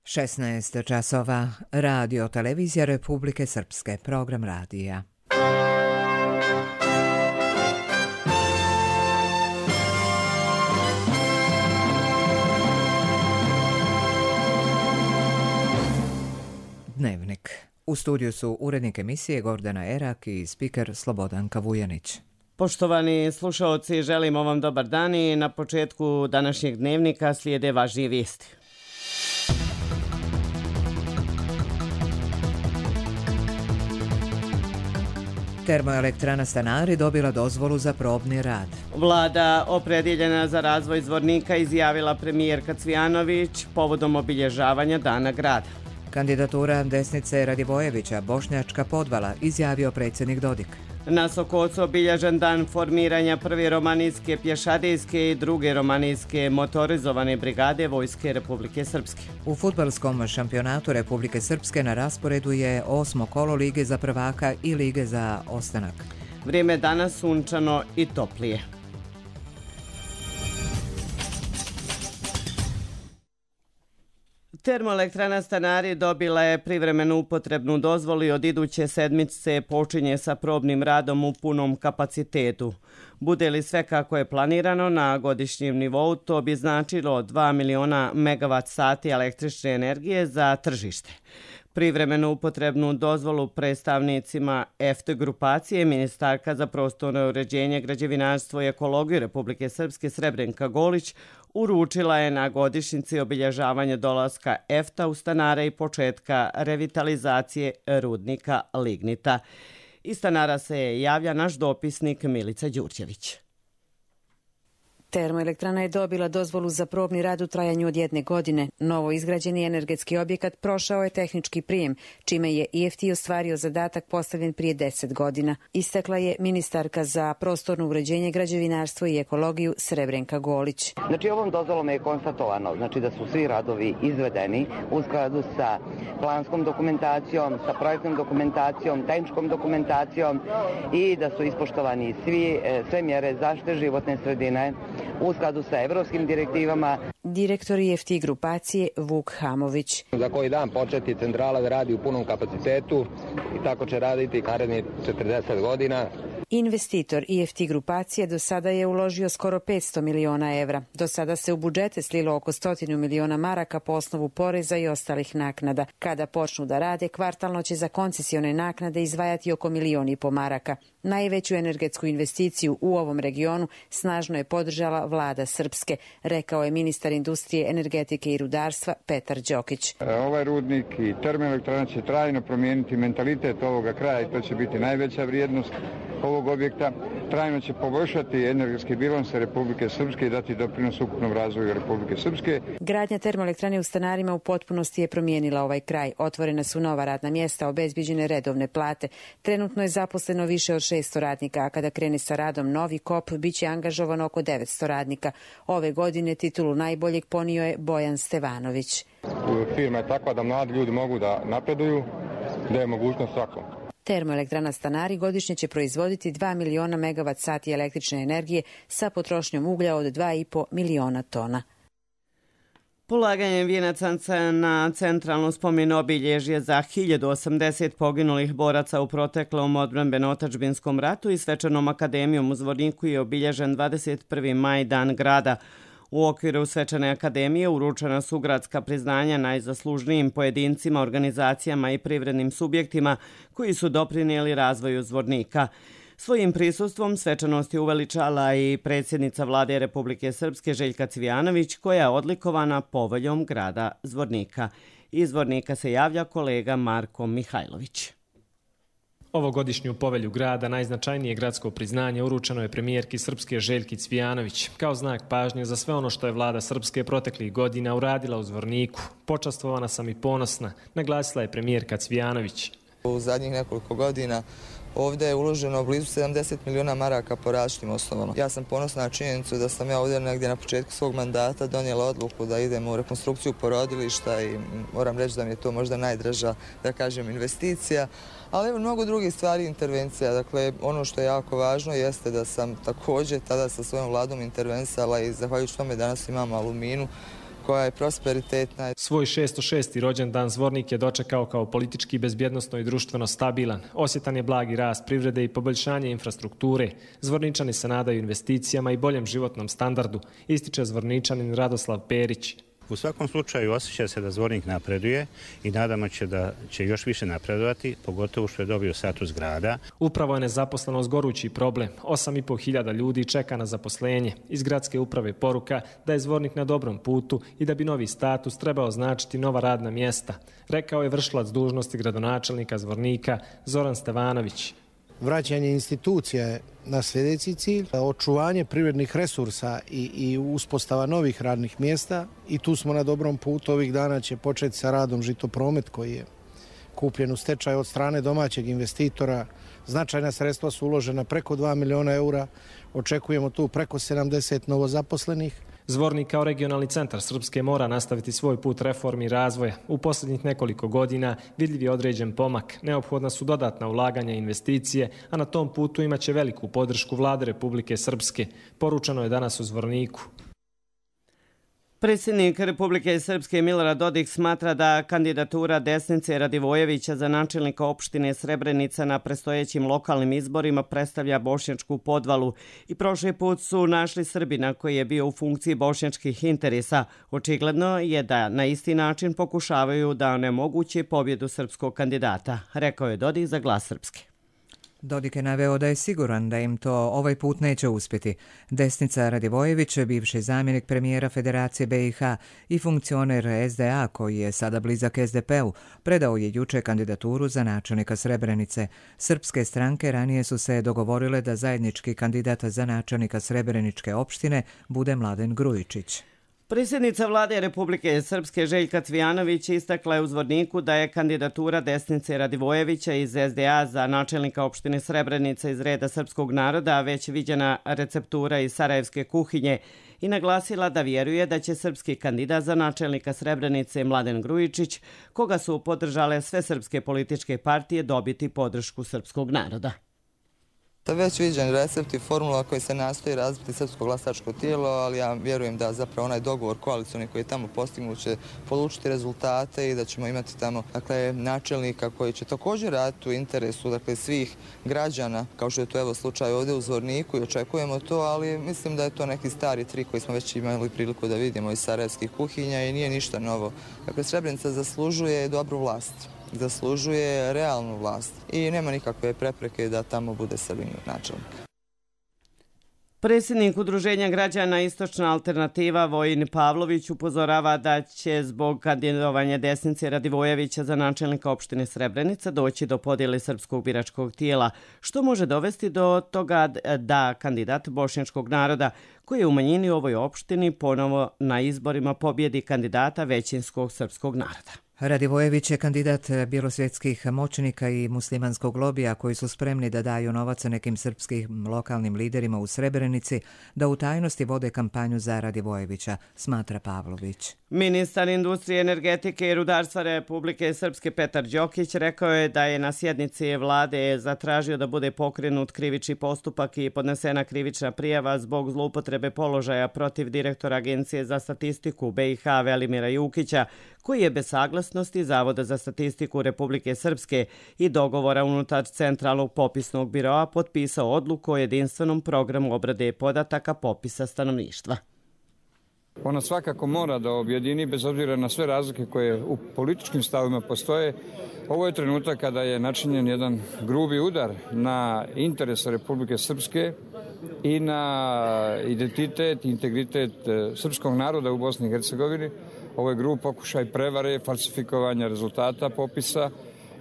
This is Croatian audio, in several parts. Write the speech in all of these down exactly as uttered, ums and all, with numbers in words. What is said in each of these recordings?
šesnaest časova, Radio Televizija Republike Srpske, program radija. Dnevnik. U studiju su urednik emisije Gordana Erak i spiker Slobodanka Vujanić. Poštovani slušaoci, želimo vam dobar dan i na početku današnjeg dnevnika slijede važnije vijesti. Termoelektrana Stanari dobila dozvolu za probni rad. Vlada opredjeljena za razvoj Zvornika izjavila premijerka Cvijanović povodom obilježavanja Dana grada. Kandidatura desnice Radivojevića, Bošnjačka podvala, izjavio predsjednik Dodik. Na Sokocu obilježen dan formiranja prve romanijske pješadijske i druge romanijske motorizovane brigade Vojske Republike Srpske. U fudbalskom šampionatu Republike Srpske na rasporedu je osmo kolo Lige za prvaka i Lige za ostanak. Vrijeme je danas sunčano i toplije. Termoelektrana Stanari dobila je privremenu upotrebnu dozvolu i od iduće sedmice počinje sa probnim radom u punom kapacitetu. Bude li sve kako je planirano na godišnjem nivou, to bi značilo dva miliona megavat sati električne energije za tržište. Privremenu upotrebnu dozvolu predstavnicima E F T grupacije ministarka za prostorno uređenje, građevinarstvo i ekologiju Republike Srpske Srebrenka Golić uručila je na godišnjici obilježavanja dolaska E F T A u Stanare i početka revitalizacije rudnika lignita. Iz Stanara se javlja naš dopisnik Milica Đurđević. Termoelektrana je dobila dozvolu za probni rad u trajanju od jedne godine. Novo izgrađeni energetski objekat prošao je tehnički prijem, čime je E F T ostvario zadatak postavljen prije deset godina. Istakla je ministarka za prostorno uređenje, građevinarstvo i ekologiju Srebrenka Golić. Znači ovom dozvolom je konstatovano znači da su svi radovi izvedeni u skladu sa planskom dokumentacijom, sa projektnom dokumentacijom, tehničkom dokumentacijom i da su ispoštovani svi, sve mjere zaštite životne sredine u skladu sa evropskim direktivama. Direktor E F T grupacije Vuk Hamović. Za koji dan početi centrala da radi u punom kapacitetu i tako će raditi narednih četrdeset godina. Investitor E F T grupacije do sada je uložio skoro petsto miliona evra. Do sada se u budžete slilo oko stotinu miliona maraka po osnovu poreza i ostalih naknada. Kada počnu da rade, kvartalno će za koncesione naknade izdvajati oko milion i po maraka. Najveću energetsku investiciju u ovom regionu snažno je podržala vlada Srpske, rekao je ministar industrije, energetike i rudarstva Petar Đokić. Ovaj rudnik i termoelektrana će trajno promijeniti mentalitet ovoga kraja i to će biti najveća vrijednost ovog objekta. Trajno će poboljšati energetski bilans Republike Srpske i dati doprinos ukupnom razvoju Republike Srpske. Gradnja termoelektrane u Stanarima u potpunosti je promijenila ovaj kraj. Otvorena su nova radna mjesta, obezbeđene redovne plate. Trenutno je zaposleno više od šesto radnika, a kada krene sa radom novi kop, bit će angažovano oko devetsto radnika. Ove godine titulu najboljeg ponio je Bojan Stevanović. Firma je takva da mladi ljudi mogu da napreduju, da je mogućnost svakom. Termoelektrana Stanari godišnje će proizvoditi dva miliona megavat sati električne energije sa potrošnjom uglja od dva i po miliona tona. Polaganjem vijenaca na centralno spomen obilježje za hiljadu osamdeset poginulih boraca u proteklom odbrambeno-otadžbinskom ratu i svečanom akademijom u Zvorniku je obilježen dvadeset prvi maj, Dan grada. U okviru svečane akademije uručena su gradska priznanja najzaslužnijim pojedincima, organizacijama i privrednim subjektima koji su doprinijeli razvoju Zvornika. Svojim prisustvom svečanost je uveličala i predsjednica vlade Republike Srpske Željka Cvijanović, koja je odlikovana poveljom grada Zvornika. Iz Zvornika se javlja kolega Marko Mihajlović. Ovogodišnju povelju grada, najznačajnije gradsko priznanje, uručeno je premijerki Srpske Željki Cvijanović, kao znak pažnje za sve ono što je vlada Srpske proteklih godina uradila u Zvorniku. Počastvovana sam i ponosna, naglasila je premijerka Cvijanović. U zadnjih nekoliko godina ovdje je uloženo blizu sedamdeset miliona maraka po različitim osnovama. Ja sam ponosna na činjenicu da sam ja ovdje negdje na početku svog mandata donijela odluku da idemo u rekonstrukciju porodilišta i moram reći da mi je to možda najdraža, da kažem, investicija. Ali evo mnogo drugih stvari intervencija. Dakle, ono što je jako važno jeste da sam također tada sa svojom vladom intervensala i zahvaljujući tome danas imamo Aluminu koja je prosperitetna. Svoj šesto šesti rođendan Zvornik je dočekao kao politički, bezbjednosno i društveno stabilan. Osjetan je blagi rast privrede i poboljšanje infrastrukture. Zvorničani se nadaju investicijama i boljem životnom standardu, ističe Zvorničanin Radoslav Perić. U svakom slučaju osjeća se da Zvornik napreduje i nadamo će da će još više napredovati, pogotovo što je dobio status grada. Upravo je nezaposlenost gorući problem. osam i po hiljada ljudi čeka na zaposlenje. Iz gradske uprave poruka da je Zvornik na dobrom putu i da bi novi status trebao značiti nova radna mjesta, rekao je vršilac dužnosti gradonačelnika Zvornika Zoran Stevanović. Vraćanje institucija je na sljedeći cilj, očuvanje privrednih resursa i, i uspostava novih radnih mjesta i tu smo na dobrom putu. Ovih dana će početi sa radom Žitopromet koji je kupljen u stečaj od strane domaćeg investitora. Značajna sredstva su uložena, preko dva miliona eura, očekujemo tu preko sedamdeset novozaposlenih. Zvornik kao regionalni centar Srpske mora nastaviti svoj put reformi i razvoja. U posljednjih nekoliko godina vidljiv je određen pomak. Neophodna su dodatna ulaganja i investicije, a na tom putu imaće veliku podršku Vlade Republike Srpske. Poručeno je danas u Zvorniku. Predsjednik Republike Srpske Milorad Dodik smatra da kandidatura Desnice Radivojevića za načelnika opštine Srebrenica na predstojećim lokalnim izborima predstavlja bošnjačku podvalu i prošli put su našli Srbina koji je bio u funkciji bošnjačkih interesa. Očigledno je da na isti način pokušavaju da onemoguće pobjedu srpskog kandidata, rekao je Dodik za Glas Srpske. Dodik je naveo da je siguran da im to ovaj put neće uspjeti. Desnica Radivojević, bivši zamjenik premijera Federacije B i H i funkcioner S D A koji je sada blizak S D P-u, predao je juče kandidaturu za načelnika Srebrenice. Srpske stranke ranije su se dogovorile da zajednički kandidat za načelnika Srebreničke opštine bude Mladen Grujičić. Predsjednica vlade Republike Srpske Željka Cvijanović istakla je u Zvorniku da je kandidatura Desnice Radivojevića iz S D A za načelnika opštine Srebrenica iz reda srpskog naroda već viđena receptura iz sarajevske kuhinje i naglasila da vjeruje da će srpski kandidat za načelnika Srebrenice Mladen Grujičić, koga su podržale sve srpske političke partije, dobiti podršku srpskog naroda. Već viđen recept i formula koji se nastoji razbiti srpsko glasačko tijelo, ali ja vjerujem da zapravo onaj dogovor koalicioni koji je tamo postignut će polučiti rezultate i da ćemo imati tamo dakle, načelnika koji će također raditi u interesu dakle, svih građana, kao što je to evo slučaj ovdje u Zvorniku i očekujemo to, ali mislim da je to neki stari trik koji smo već imali priliku da vidimo iz sarajevskih kuhinja i nije ništa novo. Dakle, Srebrenica zaslužuje dobru vlast. Zaslužuje realnu vlast i nema nikakve prepreke da tamo bude Srbin načelnik. Predsjednik Udruženja građana Istočna alternativa Vojin Pavlović upozorava da će zbog kandidovanja Desnice Radivojevića za načelnika opštine Srebrenica doći do podjele srpskog biračkog tijela, što može dovesti do toga da kandidat bošnjačkog naroda koji je u manjini u ovoj opštini ponovo na izborima pobjedi kandidata većinskog srpskog naroda. Radivojević je kandidat bjelosvjetskih moćnika i muslimanskog lobija koji su spremni da daju novac nekim srpskim lokalnim liderima u Srebrenici da u tajnosti vode kampanju za Radivojevića, smatra Pavlović. Ministar industrije, energetike i rudarstva Republike Srpske Petar Đokić rekao je da je na sjednici vlade zatražio da bude pokrenut krivični postupak i podnesena krivična prijava zbog zloupotrebe položaja protiv direktora Agencije za statistiku B i H Velimira Jukića, koji je bez saglasnosti Zavoda za statistiku Republike Srpske i dogovora unutar Centralnog popisnog biroa potpisao odluku o jedinstvenom programu obrade podataka popisa stanovništva. Ona svakako mora da objedini, bez obzira na sve razlike koje u političkim stavima postoje. Ovo je trenutak kada je načinjen jedan grubi udar na interese Republike Srpske i na identitet i integritet srpskog naroda u Bosni i Hercegovini. Ovo je grub pokušaj prevare, falsifikovanja rezultata popisa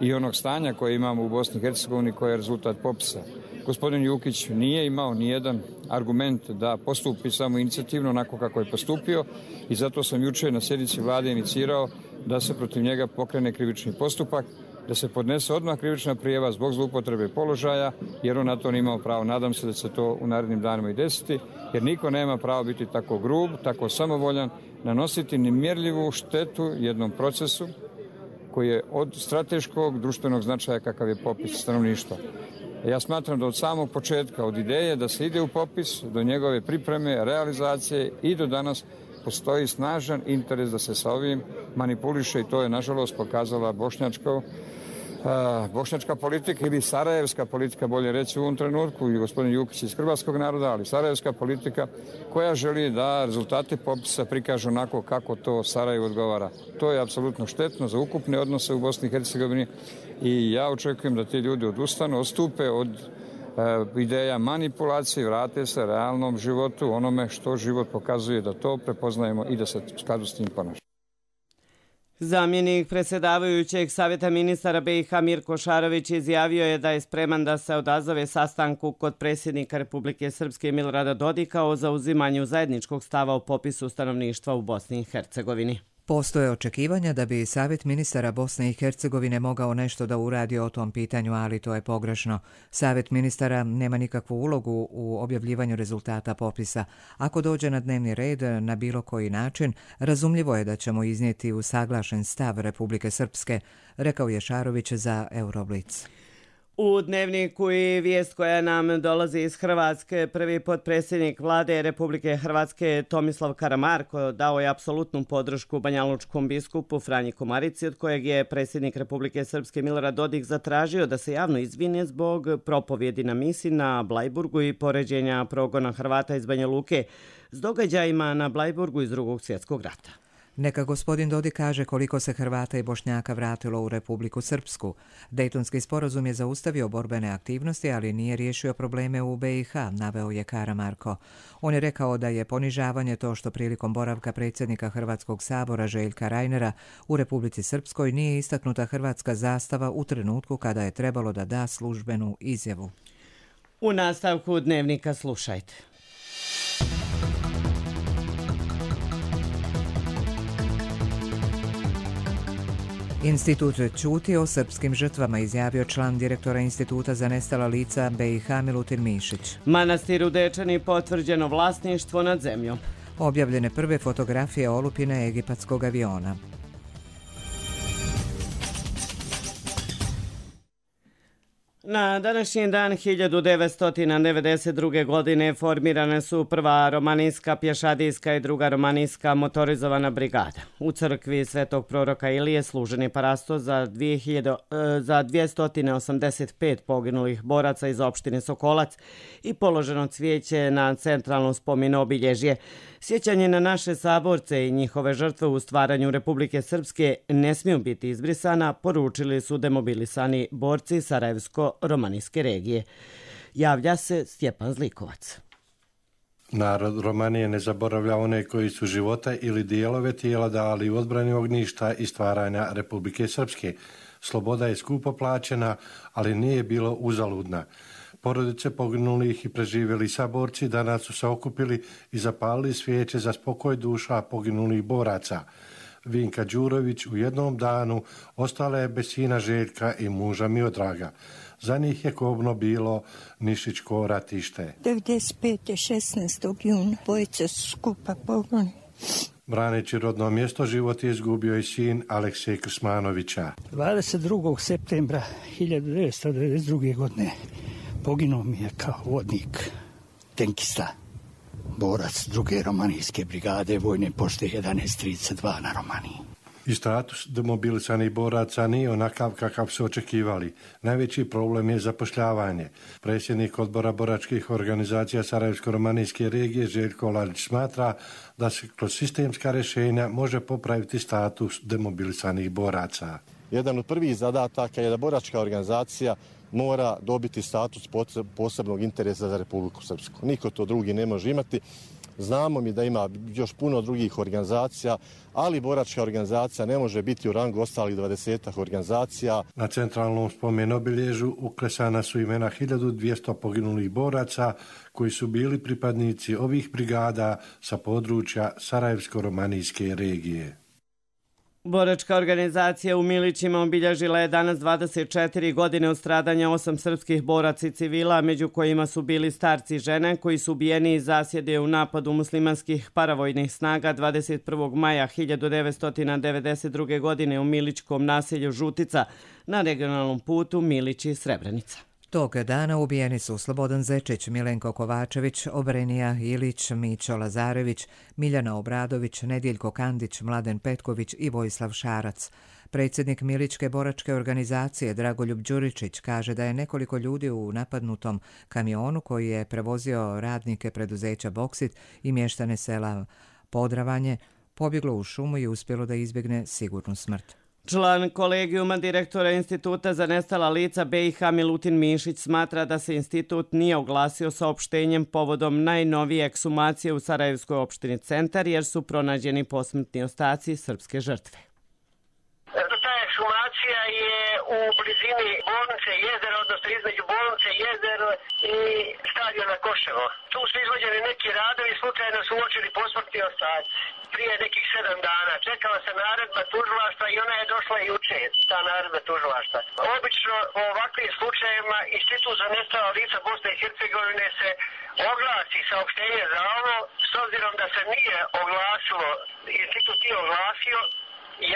i onog stanja koje imamo u Bosni i Hercegovini koje je rezultat popisa. Gospodin Jukić nije imao nijedan argument da postupi samo inicijativno onako kako je postupio i zato sam juče na sjednici vlade inicirao da se protiv njega pokrene krivični postupak, da se podnese odmah krivična prijava zbog zloupotrebe položaja, jer on na to nije imao pravo. Nadam se da će se to u narednim danima i desiti, jer niko nema pravo biti tako grub, tako samovoljan, nanositi nemjerljivu štetu jednom procesu koji je od strateškog društvenog značaja kakav je popis stanovništva. Ja smatram da od samog početka, od ideje da se ide u popis, do njegove pripreme, realizacije i do danas postoji snažan interes da se sa ovim manipuliše i to je nažalost pokazala bošnjačka, bošnjačka politika ili sarajevska politika, bolje reći u ovom trenutku, i gospodin Jukić iz hrvatskog naroda, ali sarajevska politika koja želi da rezultati popisa prikažu onako kako to Sarajevo odgovara. To je apsolutno štetno za ukupne odnose u Bosni i Hercegovini i ja očekujem da ti ljudi odustanu, odstupe od ideja manipulacije, vrate se realnom životu, onome što život pokazuje, da to prepoznajemo i da se u skladu s tim ponašamo. Zamjenik predsjedavajućeg Savjeta ministara B i H Mirko Šarović izjavio je da je spreman da se odazove sastanku kod predsjednika Republike Srpske Milorada Dodika o zauzimanju zajedničkog stava o popisu stanovništva u Bosni i Hercegovini. Postoje očekivanja da bi Savjet ministara Bosne i Hercegovine mogao nešto da uradi o tom pitanju, ali to je pogrešno. Savjet ministara nema nikakvu ulogu u objavljivanju rezultata popisa. Ako dođe na dnevni red na bilo koji način, razumljivo je da ćemo iznijeti usaglašen stav Republike Srpske, rekao je Šarović za Euroblic. U Dnevniku i vijest koja nam dolazi iz Hrvatske, prvi potpredsjednik vlade Republike Hrvatske Tomislav Karamarko dao je apsolutnu podršku banjalučkom biskupu Franji Komarici, od kojeg je predsjednik Republike Srpske Milorad Dodik zatražio da se javno izvine zbog propovjedi na misi na Blajburgu i poređenja progona Hrvata iz Banja Luke s događajima na Blajburgu iz Drugog svjetskog rata. Neka gospodin Dodik kaže koliko se Hrvata i Bošnjaka vratilo u Republiku Srpsku. Dejtonski sporazum je zaustavio borbene aktivnosti, ali nije riješio probleme u B i H, naveo je Karamarko. On je rekao da je ponižavanje to što prilikom boravka predsjednika Hrvatskog sabora Željka Reinera u Republici Srpskoj nije istaknuta hrvatska zastava u trenutku kada je trebalo da da službenu izjavu. U nastavku Dnevnika slušajte. Institut ćuti o srpskim žrtvama, izjavio član direktora Instituta za nestala lica B i H Milutin Mišić. Manastir u Dečani potvrđeno vlasništvo nad zemljom. Objavljene prve fotografije olupine egipatskog aviona. Na današnji dan hiljadu devetsto devedeset druge. godine formirane su prva romanijska pješadijska i druga romanijska motorizovana brigada. U crkvi Svetog proroka Ilije služen je parasto za, za dvjesto osamdeset pet poginulih boraca iz opštine Sokolac i položeno cvijeće na centralno spomen obilježje. Sjećanje na naše saborce i njihove žrtve u stvaranju Republike Srpske ne smiju biti izbrisana, poručili su demobilisani borci Sarajevsko-romanijske regije. Javlja se Stjepan Zlikovac. Narod Romanije ne zaboravlja one koji su života ili dijelove tijela dali u odbrani ognjišta i stvaranja Republike Srpske. Sloboda je skupo plaćena, ali nije bilo uzaludna. Porodice poginulih i preživjeli saborci danas su se okupili i zapalili svijeće za spokoj duša poginulih boraca. Vinka Đurović u jednom danu ostala je bez sina Željka i muža Miodraga. Za njih je kobno bilo Nišićko ratište. devedeset pete. šesnaestog juna bojica su skupa poginuli. Braneći rodno mjesto, život je izgubio i sin Aleksej Krsmanovića. dvadeset drugog septembra hiljadu devetsto devedeset druge. godine poginuo mi je kao vodnik tenkista, borac druge romanijske brigade vojne pošte jedanaest trideset dva na Romaniji. I status demobilisanih boraca nije onakav kakav su očekivali. Najveći problem je zapošljavanje. Predsjednik odbora boračkih organizacija Sarajevsko-romanijske regije Željko Lalić smatra da se kroz sistemska rješenja može popraviti status demobilisanih boraca. Jedan od prvih zadataka je da boračka organizacija mora dobiti status posebnog interesa za Republiku Srpsku. Niko to drugi ne može imati. Znamo mi da ima još puno drugih organizacija, ali boračka organizacija ne može biti u rangu ostalih dvadesetak organizacija. Na centralnom spomen obilježju uklesana su imena hiljadu dvjesto poginulih boraca koji su bili pripadnici ovih brigada sa područja Sarajevsko-romanijske regije. Boračka organizacija u Milićima obilježila je danas dvadeset četiri godine od stradanja osam srpskih boraca i civila, među kojima su bili starci i žene koji su ubijeni iz zasjede u napadu muslimanskih paravojnih snaga dvadeset prvog maja hiljadu devetsto devedeset druge. godine u milićkom naselju Žutica na regionalnom putu Milići-Srebrenica. Tog dana ubijeni su Slobodan Zečić, Milenko Kovačević, Obrenija Ilić, Mićo Lazarević, Miljana Obradović, Nedjeljko Kandić, Mladen Petković i Vojislav Šarac. Predsjednik Miličke boračke organizacije Dragoljub Đuričić kaže da je nekoliko ljudi u napadnutom kamionu koji je prevozio radnike preduzeća Boksit i mještane sela Podravanje pobjeglo u šumu i uspjelo da izbjegne sigurnu smrt. Član kolegijuma direktora Instituta za nestala lica B i H Milutin Mišić smatra da se institut nije oglasio saopštenjem povodom najnovije ekshumacije u Sarajevskoj opštini Centar jer su pronađeni posmrtni ostaci srpske žrtve. Ta ekshumacija je u blizini bolnice Jezero, odnosno između bolnice Jezero i stadiona Koševo. Tu su izvođeni neki radovi, slučajno su uočili posmrtni ostaci prije nekih sedam dana. Čekala se naredba tužilaštva i ona je došla juče, ta naredba tužilaštva. Obično u ovakvim slučajevima Institut za nestala lica Bosne i Hercegovine se oglasi saopštenje za ovo, s obzirom da se nije oglasilo, institut nije oglasio.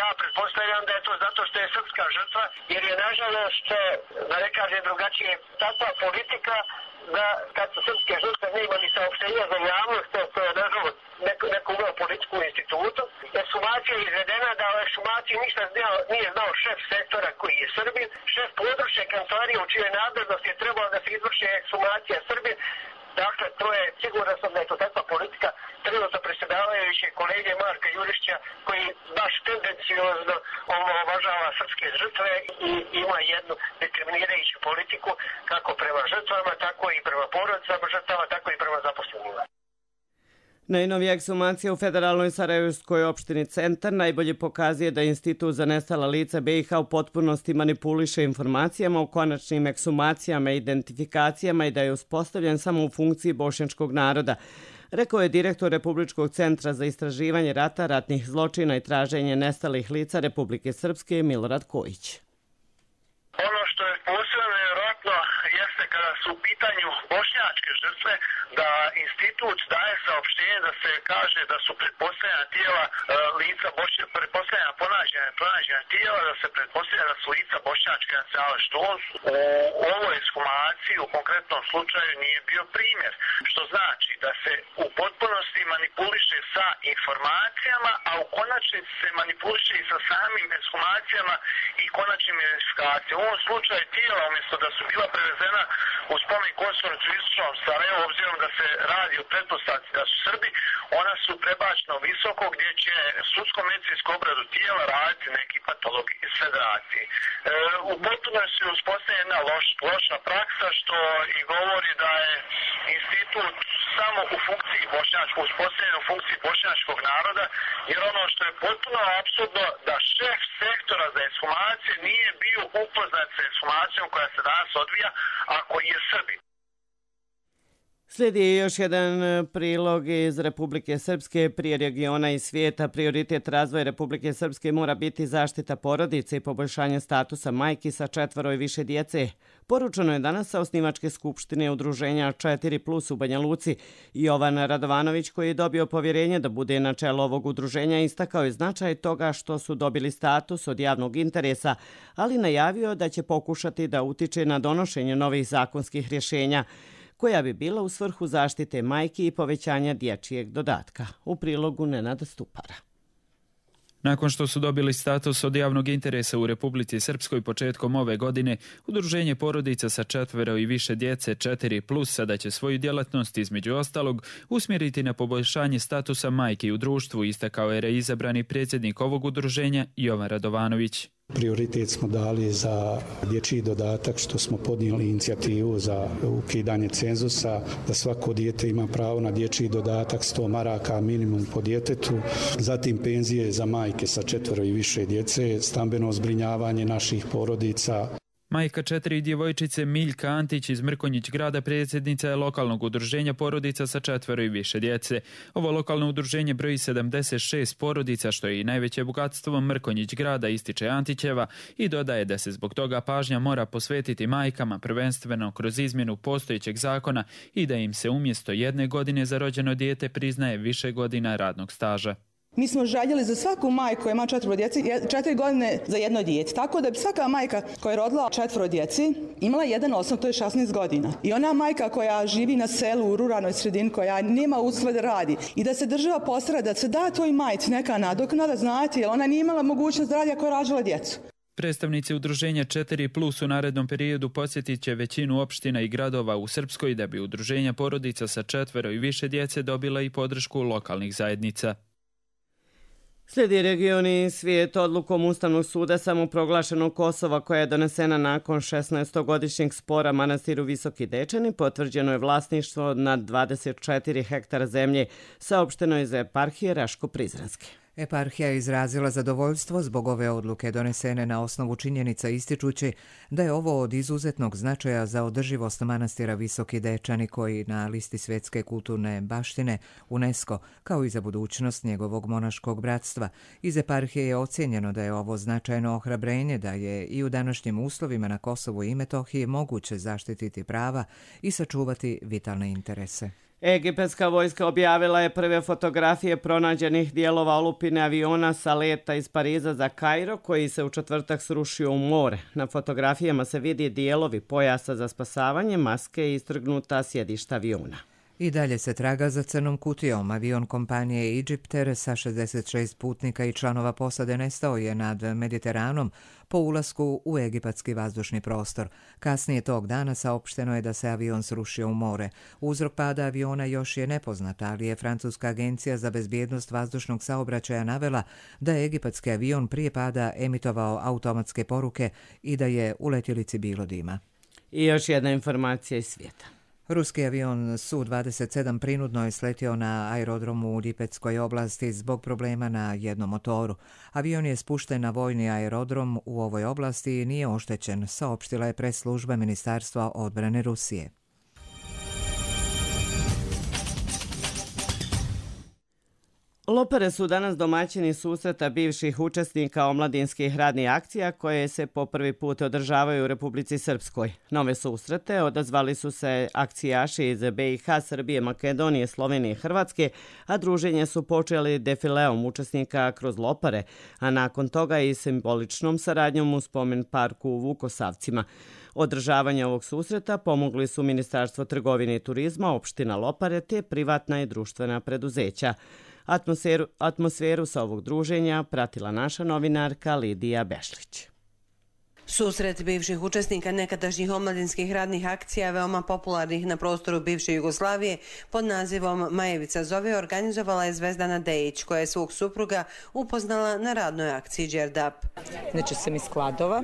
Ja pretpostavljam da je to zato što je srpska žrtva, jer je nažalost, da ne kaže drugačije, takva politika da kad su srpske žrtve nema ni saopštenja za javnost, to je nažalost neko, neko uveo politiku u institutu. Ekshumacija je izvedena da o ekshumaciji ništa nije znao šef sektora koji je Srbin, šef područne kancelarije u čijoj nadležnosti je trebalo da se izvrši ekshumacija Srbin. Dakle, to je sigurno sam da je to takva politika trenutno predsjedavajuće kolege Marka Jurišća koji baš tendencijozno omalovažava srpske žrtve i ima jednu diskriminirajuću politiku kako prema žrtvama, tako i prema porodicama žrtava, tako i prema zaposlenima. Najnovija ekshumacija u federalnoj Sarajevskoj opštini Centar najbolje pokazuje da Institut za nestala lica B i H u potpunosti manipuliše informacijama o konačnim ekshumacijama i identifikacijama i da je uspostavljen samo u funkciji bošnjačkog naroda, rekao je direktor Republičkog centra za istraživanje rata, ratnih zločina i traženje nestalih lica Republike Srpske Milorad Kojić. Ono što je posebno nevjerojatno jeste kada su u pitanju bošnjačke žrtve da institut daje saopštenje da se kaže da su pretpostavljena tijela e, lica bošnja, pretpostavljena ponađena, pronađena tijela, da se pretpostavlja da su lica bošnjačke nacionalne, što on u ovoj ekshumaciji u konkretnom slučaju nije bio primjer, što znači da se u potpunosti manipuliše sa informacijama, a u konačnici se manipuliše i sa samim ekshumacijama i konačnim identifikacijama. U ovom slučaju tijela, umjesto da su bila prevezena u spomen kosturnicu u istočnom Sarajevu, obzirom da se radi o pretpostavci da su Srbi, ona su prebačena u Visoko gdje će sudsko-medicinsku obradu tijela raditi neki patolog iz federacije. E, u potpunosti je uspostavljena jedna loš, loša praksa što i govori da je institut samo u funkciji bošnjačkog, uspostavljen u funkciji bošnjačkog naroda, jer ono što je potpuno apsurdno da šef sektora za ekshumacije nije bio upoznat sa ekshumacijom koja se danas odvija, a koji je Srbin. Slijedi još jedan prilog iz Republike Srpske. Prije regiona i svijeta prioritet razvoja Republike Srpske mora biti zaštita porodice i poboljšanje statusa majki sa četvoro i više djece. Poručeno je danas sa osnivačke skupštine udruženja četiri plus u Banja Luci. Jovan Radovanović, koji je dobio povjerenje da bude na čelu ovog udruženja, istakao je značaj toga što su dobili status od javnog interesa, ali najavio da će pokušati da utiče na donošenje novih zakonskih rješenja koja bi bila u svrhu zaštite majki i povećanja dječjeg dodatka. U prilogu Nenada Stupara. Nakon što su dobili status od javnog interesa u Republici Srpskoj početkom ove godine, udruženje porodica sa četvero i više djece četiri plus sada će svoju djelatnost između ostalog usmjeriti na poboljšanje statusa majki u društvu, istakao je reizabrani predsjednik ovog udruženja Jovan Radovanović. Prioritet smo dali za dječji dodatak, što smo podnijeli inicijativu za ukidanje cenzusa, da svako dijete ima pravo na dječji dodatak sto maraka minimum po djetetu, zatim penzije za majke sa četvero i više djece, stambeno zbrinjavanje naših porodica. Majka četiri djevojčice Miljka Antić iz Mrkonjić grada predsjednica je lokalnog udruženja porodica sa četvero i više djece. Ovo lokalno udruženje broji sedamdeset šest porodica, što je i najveće bogatstvo Mrkonjić grada, ističe Antićeva i dodaje da se zbog toga pažnja mora posvetiti majkama, prvenstveno kroz izmjenu postojećeg zakona i da im se umjesto jedne godine za rođeno dijete priznaje više godina radnog staža. Mi smo željeli za svaku majku koja ima četvoro djece, četiri godine za jedno dijete. Tako da bi svaka majka koja je rodila četvoro djeci imala jedan osnov, to je šesnaest godina. I ona majka koja živi na selu u ruralnoj sredini, koja nema uslove da radi i da se država postara da se da toj majci neka nadoknada, znate, jer ona nije imala mogućnost da radi ako je rađala djecu. Predstavnici udruženja četiri plus u narednom periodu posjetit će većinu opština i gradova u Srpskoj da bi udruženja porodica sa četvero i više djece dobila i podršku lokalnih zajednica. Slijedi regioni svijet odlukom Ustavnog suda samoproglašenog Kosova koja je donesena nakon šesnaestogodišnjeg spora manastiru Visoki Dečani. Potvrđeno je vlasništvo nad dvadeset četiri hektara zemlje, saopšteno iz eparhije Raško-Prizrenske. Eparhija je izrazila zadovoljstvo zbog ove odluke donesene na osnovu činjenica ističući da je ovo od izuzetnog značaja za održivost manastira Visoki Dečani koji na listi svjetske kulturne baštine UNESCO kao i za budućnost njegovog monaškog bratstva. Iz eparhije je ocjenjeno da je ovo značajno ohrabrenje da je i u današnjim uslovima na Kosovu i Metohiji moguće zaštititi prava i sačuvati vitalne interese. Egipatska vojska objavila je prve fotografije pronađenih dijelova olupine aviona sa leta iz Pariza za Kairo koji se u četvrtak srušio u more. Na fotografijama se vidi dijelovi pojasa za spasavanje, maske i istrgnuta sjedišta aviona. I dalje se traga za crnom kutijom. Avion kompanije Egypter sa šezdeset šest putnika i članova posade nestao je nad Mediteranom po ulasku u egipatski vazdušni prostor. Kasnije tog dana saopšteno je da se avion srušio u more. Uzrok pada aviona još je nepoznat, ali je Francuska agencija za bezbjednost vazdušnog saobraćaja navela da je egipatski avion prije pada emitovao automatske poruke i da je u letjelici bilo dima. I još jedna informacija iz svijeta. Ruski avion Su dvadeset sedam prinudno je sletio na aerodromu u Lipetskoj oblasti zbog problema na jednom motoru. Avion je spušten na vojni aerodrom u ovoj oblasti i nije oštećen, saopštila je pres služba Ministarstva odbrane Rusije. Lopare su danas domaćini susreta bivših učesnika omladinskih radnih akcija koje se po prvi put održavaju u Republici Srpskoj. Nove susrete odazvali su se akcijaši iz be i ha, Srbije, Makedonije, Slovenije i Hrvatske, a druženje su počeli defileom učesnika kroz Lopare, a nakon toga i simboličnom saradnjom u spomen parku u Vukosavcima. Održavanje ovog susreta pomogli su Ministarstvo trgovine i turizma, opština Lopare te privatna i društvena preduzeća. Atmosferu, atmosferu sa ovog druženja pratila naša novinarka Lidija Bešlić. Susret bivših učesnika nekadašnjih omladinskih radnih akcija veoma popularnih na prostoru bivše Jugoslavije pod nazivom Majevica zove organizovala je Zvezdana Dejić koja je svog supruga upoznala na radnoj akciji Đerdap. Znači sam iz Kladova,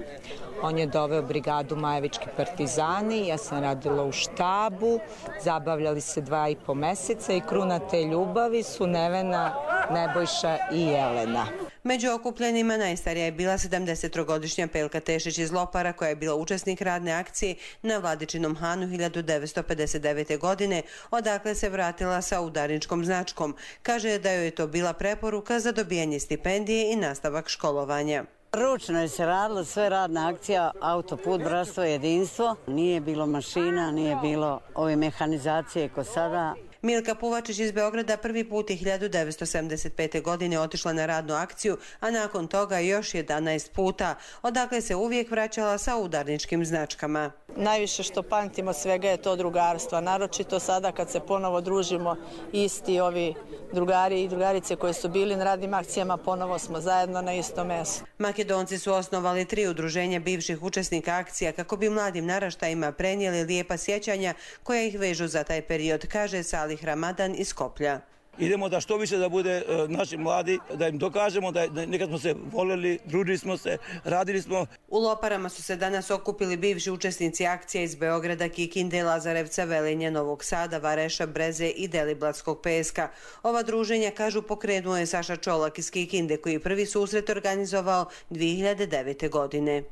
on je doveo brigadu Majevički partizani, ja sam radila u štabu, zabavljali se dva i po meseca i kruna te ljubavi su Nevena, Nebojša i Jelena. Među okupljenima najstarija je bila sedamdesettrogodišnja Pelka Tešić iz Lopara koja je bila učesnik radne akcije na Vladičinom Hanu hiljadu devetsto pedeset devete. godine, odakle se vratila sa udarničkom značkom. Kaže da joj je to bila preporuka za dobijanje stipendije i nastavak školovanja. Ručno je se radilo, sve radna akcija, autoput, bratstvo, jedinstvo. Nije bilo mašina, nije bilo ove mehanizacije ko sada. Milka Puvačić iz Beograda prvi put je hiljadu devetsto sedamdeset pete. godine otišla na radnu akciju, a nakon toga još jedanaest puta, odakle se uvijek vraćala sa udarničkim značkama. Najviše što pamtimo svega je to drugarstva, naročito sada kad se ponovo družimo isti ovi drugari i drugarice koje su bili na radnim akcijama, ponovo smo zajedno na istom mjestu. Makedonci su osnovali tri udruženja bivših učesnika akcija kako bi mladim naraštajima prenijeli lijepa sjećanja koja ih vežu za taj period, kaže Salih Ramadan iz Skoplja. Idemo da što više da bude uh, naši mladi, da im dokažemo da, da nekad smo se voljeli, družili smo se, radili smo. U Loparama su se danas okupili bivši učesnici akcija iz Beograda, Kikinde, Lazarevca, Velenja, Novog Sada, Vareša, Breze i Deliblatskog peska. Ova druženja, kažu, pokrenuo je Saša Čolak iz Kikinde koji je prvi susret organizovao dvije hiljade devete. godine.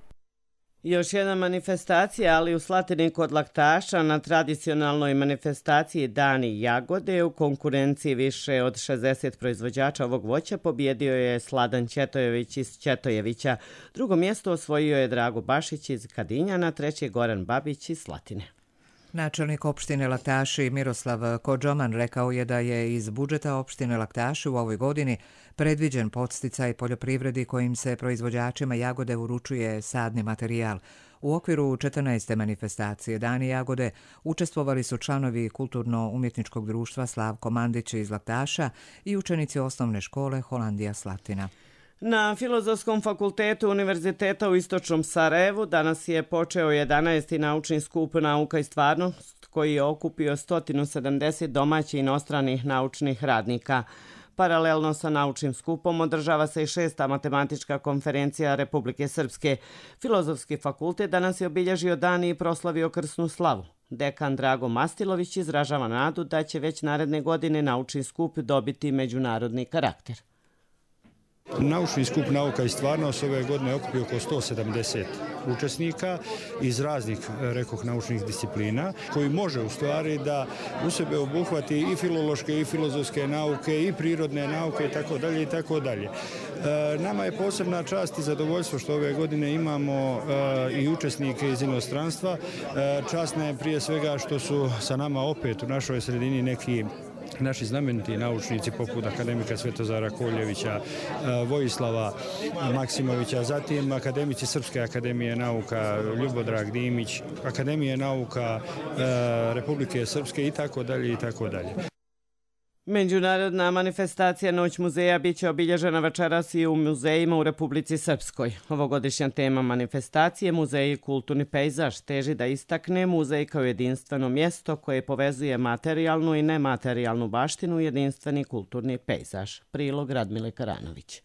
Još jedna manifestacija, ali u Slatini kod Laktaša na tradicionalnoj manifestaciji Dani jagode u konkurenciji više od šezdeset proizvođača ovog voća pobjedio je Sladan Ćetojević iz Ćetojevića. Drugo mjesto osvojio je Drago Bašić iz Kadinjana, treći Goran Babić iz Slatine. Načelnik opštine Laktaši Miroslav Kodžoman rekao je da je iz budžeta opštine Laktaši u ovoj godini predviđen podsticaj poljoprivredi kojim se proizvođačima jagode uručuje sadni materijal. U okviru četrnaeste manifestacije Dani jagode učestvovali su članovi Kulturno-umjetničkog društva Slavko Mandić iz Laktaša i učenici osnovne škole Holandija Slatina. Na Filozofskom fakultetu Univerziteta u Istočnom Sarajevu danas je počeo jedanaesti naučni skup Nauka i stvarnost koji je okupio sto sedamdeset domaćih i inostranih naučnih radnika. Paralelno sa naučnim skupom održava se i šesta matematička konferencija Republike Srpske. Filozofski fakultet danas je obilježio dan i proslavio krsnu slavu. Dekan Drago Mastilović izražava nadu da će već naredne godine naučni skup dobiti međunarodni karakter. Naučni skup Nauka i stvarnost ove godine okupio oko sto sedamdeset učesnika iz raznih, rekoh, naučnih disciplina, koji može u stvari da u sebe obuhvati i filološke i filozofske nauke i prirodne nauke i tako dalje i tako dalje. Nama je posebna čast i zadovoljstvo što ove godine imamo i učesnike iz inostranstva. Čast nam je prije svega što su sa nama opet u našoj sredini neki naši znameniti naučnici poput akademika Svetozara Koljevića, Vojislava Maksimovića, zatim akademici Srpske akademije nauka, Ljubodrag Dimić, Akademije nauka Republike Srpske i tako dalje i tako dalje. Međunarodna manifestacija Noć muzeja biće obilježena večeras i u muzejima u Republici Srpskoj. Ovogodišnja tema manifestacije Muzej i kulturni pejzaž teži da istakne muzej kao jedinstveno mjesto koje povezuje materijalnu i nematerijalnu baštinu, jedinstveni kulturni pejzaž. Prilog Radmile Karanović.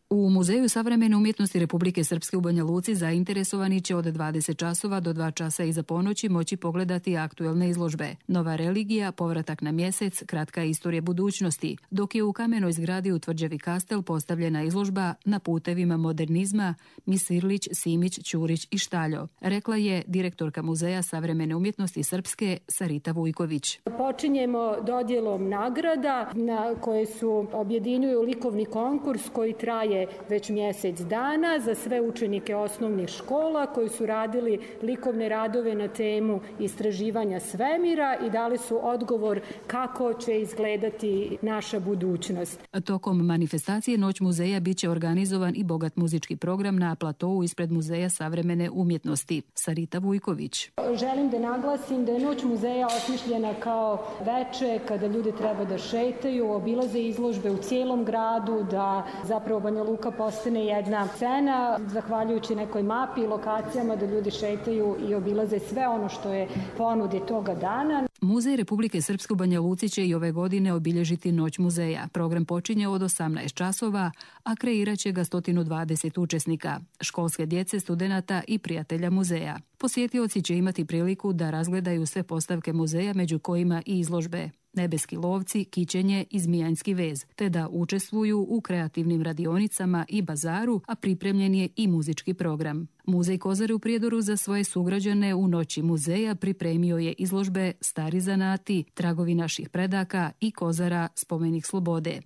U Muzeju savremene umjetnosti Republike Srpske u Banja Luci zainteresovani će od dvadeset časova do dva časa iza ponoći moći pogledati aktuelne izložbe. Nova religija, povratak na mjesec, kratka istorija budućnosti, dok je u kamenoj zgradi u Tvrđavi Kastel postavljena izložba Na putevima modernizma Misirlić, Simić, Ćurić i Štaljo, rekla je direktorka Muzeja savremene umjetnosti Srpske Sarita Vujković. Počinjemo dodjelom nagrada na koje su objedinjuju likovni konkurs koji traje već mjesec dana za sve učenike osnovnih škola koji su radili likovne radove na temu istraživanja svemira i dali su odgovor kako će izgledati naša budućnost. Tokom manifestacije Noć muzeja biće organizovan i bogat muzički program na platovu ispred Muzeja savremene umjetnosti. Sarita Vujković. Želim da naglasim da je Noć muzeja osmišljena kao veče kada ljudi treba da šetaju, obilaze izložbe u cijelom gradu, da zapravo Banja Luka postane jedna scena, zahvaljujući nekoj mapi i lokacijama da ljudi šetaju i obilaze sve ono što je ponudi toga dana. Muzej Republike Srpske u Banja Luci će i ove godine obilježiti Noć muzeja. Program počinje od osamnaest časova, a kreirat će ga sto dvadeset učesnika, školske djece, studenata i prijatelja muzeja. Posjetioci će imati priliku da razgledaju sve postavke muzeja, među kojima i izložbe Nebeski lovci, Kićenje i Zmijanjski vez, te da učestvuju u kreativnim radionicama i bazaru, a pripremljen je i muzički program. Muzej Kozare u Prijedoru za svoje sugrađane u Noći muzeja pripremio je izložbe Stari zanati, Tragovi naših predaka i Kozara, spomenik slobode.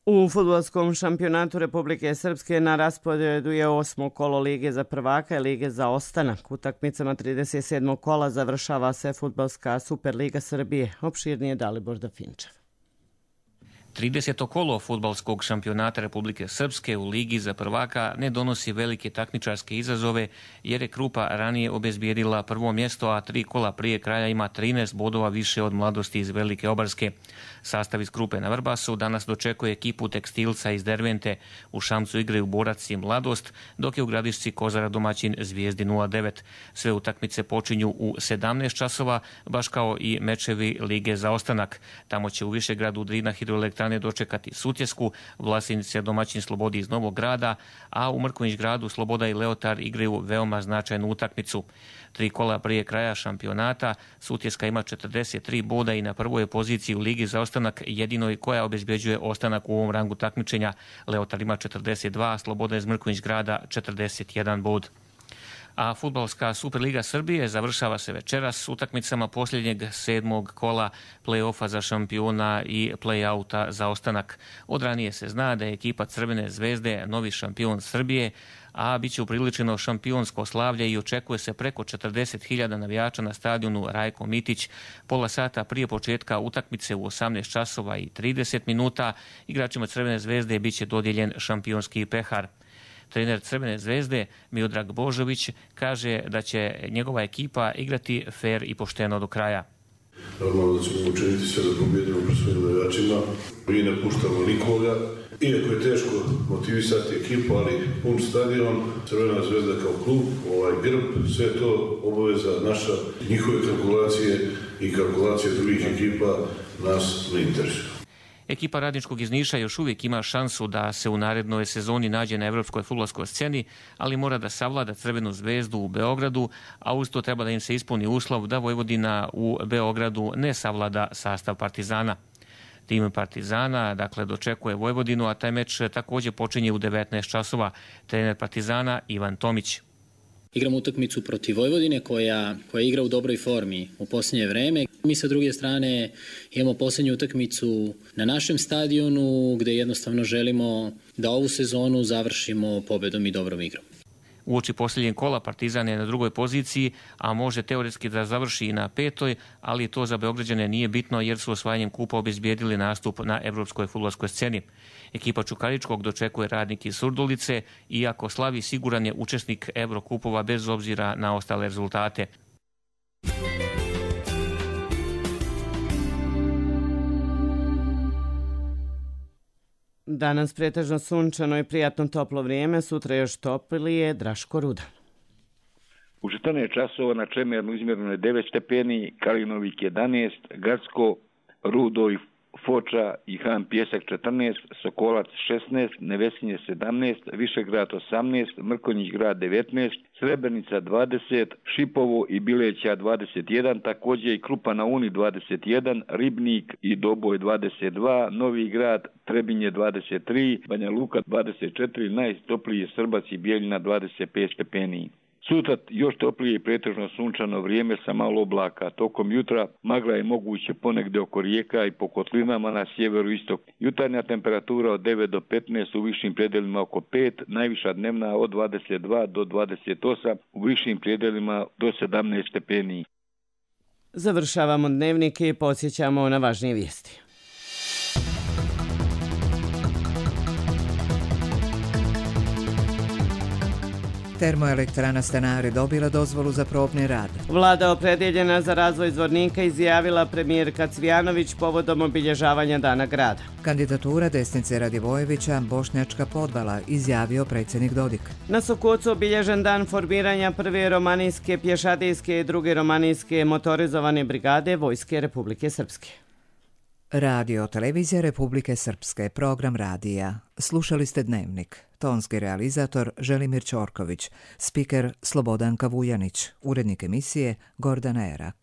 U fudbalskom šampionatu Republike Srpske na rasporedu je osmo kolo Lige za prvaka i Lige za ostanak. Utakmicama trideset sedmog kola završava se fudbalska Superliga Srbije. Opširnije Dalibor Dafinčev. trideseto kolo fudbalskog šampionata Republike Srpske u Ligi za prvaka ne donosi velike takmičarske izazove jer je Krupa ranije obezbijedila prvo mjesto, a tri kola prije kraja ima trinaest bodova više od Mladosti iz Velike Obarske. Sastav iz Krupe na Vrbasu danas dočekuje ekipu Tekstilca iz Dervente. U Šamcu igraju Borac i Mladost, dok je u Gradišci Kozara domaćin Zvijezdi nula devet. Sve utakmice počinju u sedamnaest časova, baš kao i mečevi Lige za ostanak. Tamo će u Višegradu Drina hidroelektrane dočekati Sutjesku, Vlasinice domaćin Slobodi iz Novog Grada, a u Mrkonjić Gradu Sloboda i Leotar igraju veoma značajnu utakmicu. Tri kola prije kraja šampionata Sutjeska ima četrdeset tri boda i na prvoj je poziciji u Ligi za ostanak, jedinoj koja obezbeđuje ostanak u ovom rangu takmičenja. Leotar ima četrdeset dva, Sloboda iz Mrkonjić Grada četrdeset jedan bod. A fudbalska Superliga Srbije završava se večeras s utakmicama posljednjeg sedmog kola play-offa za šampiona i play-outa za ostanak. Od ranije se zna da je ekipa Crvene zvezde novi šampion Srbije, a bit će upriličeno šampionsko slavlje i očekuje se preko četrdeset hiljada navijača na stadionu Rajko Mitić. Pola sata prije početka utakmice u osamnaest časova i trideset minuta igračima Crvene zvezde bit će dodijeljen šampionski pehar. Trener Crvene zvezde Miodrag Božović kaže da će njegova ekipa igrati fer i pošteno do kraja. Normalno da ćemo učiniti sve da pobjedimo pred svojim navijačima. Mi ne puštamo nikoga. Iako je teško motivisati ekipu, ali pun stadion, Crvena zvezda kao klub, ovaj grb, sve to obaveza naša, njihove kalkulacije i kalkulacije drugih ekipa nas ne interesuju. Ekipa Radničkog iz Niša još uvijek ima šansu da se u narednoj sezoni nađe na evropskoj fudbalskoj sceni, ali mora da savlada Crvenu zvezdu u Beogradu, a uz to treba da im se ispuni uslov da Vojvodina u Beogradu ne savlada sastav Partizana. Tim Partizana, dakle, dočekuje Vojvodinu, a taj meč također počinje u devetnaest časova. Trener Partizana Ivan Tomić. Igramo utakmicu protiv Vojvodine koja, koja igra u dobroj formi u posljednje vreme. Mi sa druge strane imamo posljednju utakmicu na našem stadionu gdje jednostavno želimo da ovu sezonu završimo pobedom i dobrom igrom. Uoči posljednjeg kola Partizan je na drugoj poziciji, a može teoretski da završi i na petoj, ali to za Beograđane nije bitno jer su osvajanjem kupa obezbijedili nastup na evropskoj fudbalskoj sceni. Ekipa Čukaričkog dočekuje Radnik iz Surdulice, iako slavi siguran je učesnik Evrokupova bez obzira na ostale rezultate. Danas pretežno sunčano i prijatno toplo vrijeme, sutra još toplije. Draško Rudan. U četrnaest časova na Čemernu izmjereno je devet stepeni, Kalinovik jedanaest, Gradsko, Rudo i Foča i Han Pjesak četrnaest, Sokolac šesnaest, Nevesinje sedamnaest, Višegrad osamnaest, Mrkonjić grad devetnaest, Srebrenica dvadeset, Šipovo i Bileća dvadeset jedan, također i Krupa na Uni dvadeset jedan, Ribnik i Doboj dvadeset dva, Novi grad, Trebinje dvadeset tri, Banja Luka dvadeset četiri, najtoplije Srbac i Bijeljina dvadeset pet stepeni. Sutra još toplije i pretežno sunčano vrijeme sa malo oblaka. Tokom jutra magla je moguće ponegdje oko rijeka i po kotlinama na sjeveru istok. Jutarnja temperatura od devet do petnaest, u višim predelima oko pet, najviša dnevna od dvadeset dva do dvadeset osam, u višim predelima do sedamnaest stepeni. Završavamo dnevnike i podsjećamo na važnije vijesti. Termoelektrana Stanari dobila dozvolu za probni rad. Vlada opredjeljena za razvoj Zvornika izjavila premijerka Cvijanović povodom obilježavanja Dana grada. Kandidatura desnice Radivojevića, Bošnjačka podvala, izjavio predsjednik Dodik. Na Sokocu obilježen dan formiranja prve romanijske pješadijske i druge romanijske motorizovane brigade Vojske Republike Srpske. Radio Televizija Republike Srpske, program radija. Slušali ste Dnevnik. Tonski realizator Želimir Ćorković, spiker Slobodanka Vujanić, urednik emisije Gordana Erak.